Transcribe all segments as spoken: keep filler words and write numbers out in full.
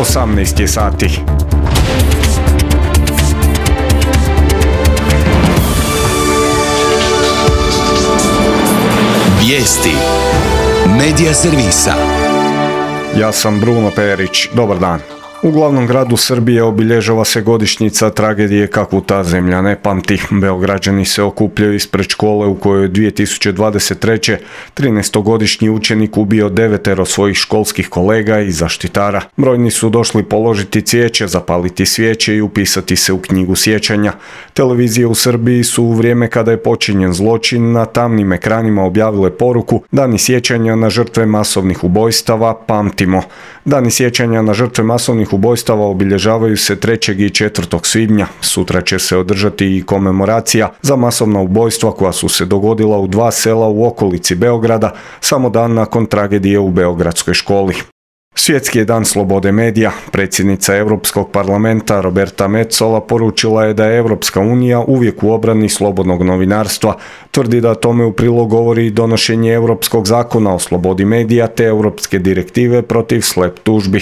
osamnaest je sati. Vijesti Medija servisa. Ja sam Bruno Perić. Dobar dan. U glavnom gradu Srbije obilježava se godišnjica tragedije kakvu ta zemlja ne pamti. Beograđani se okupljaju ispred škole u kojoj je dvije tisuće dvadeset treće. trinaestogodišnji učenik ubio devetero svojih školskih kolega i zaštitara. Brojni su došli položiti cvijeće, zapaliti svijeće i upisati se u knjigu sjećanja. Televizije u Srbiji su u vrijeme kada je počinjen zločin na tamnim ekranima objavile poruku: Dani sjećanja na žrtve masovnih ubojstava, pamtimo. Dani sjećanja na žrtve masovnih ubojstava obilježavaju se trećeg i četvrtog svibnja. Sutra će se održati i komemoracija za masovna ubojstva koja su se dogodila u dva sela u okolici Beograda, samo dan nakon tragedije u beogradskoj školi. Svjetski je dan slobode medija. Predsjednica Europskog parlamenta Roberta Metsola poručila je da je Europska unija uvijek u obrani slobodnog novinarstva. Tvrdi da tome u prilog govori donošenje Europskog zakona o slobodi medija te Europske direktive protiv slep tužbi.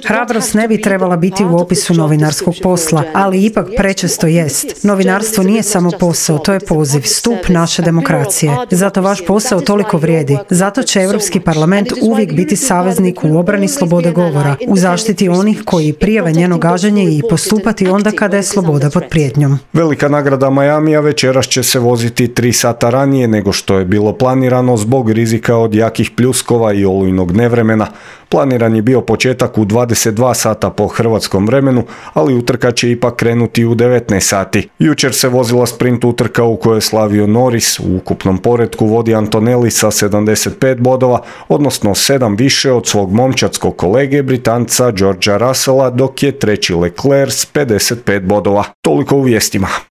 Hrabrost ne bi trebala biti u opisu novinarskog posla, ali ipak prečesto jest. Novinarstvo nije samo posao, to je poziv, stup naše demokracije. Zato vaš posao toliko vrijedi. Zato će Europski parlament uvijek biti saveznik u obrani slobode govora, u zaštiti onih koji prijave njeno gaženje i postupati onda kada je sloboda pod prijetnjom. Velika nagrada Miamija večeras će se voziti tri sata ranije nego što je bilo planirano zbog rizika od jakih pljuskova i olujnog nevremena. Planiran je bio početak u dvadeset dva sata po hrvatskom vremenu, ali utrka će ipak krenuti u devetnaest sati. Jučer se vozila sprint utrka u kojoj je slavio Norris. U ukupnom poretku vodi Antonelli sa sedamdeset pet bodova, odnosno sedam više od svog momčadskog kolege Britanca Georgea Russella, dok je treći Leclerc s pedeset pet bodova. Toliko u vijestima.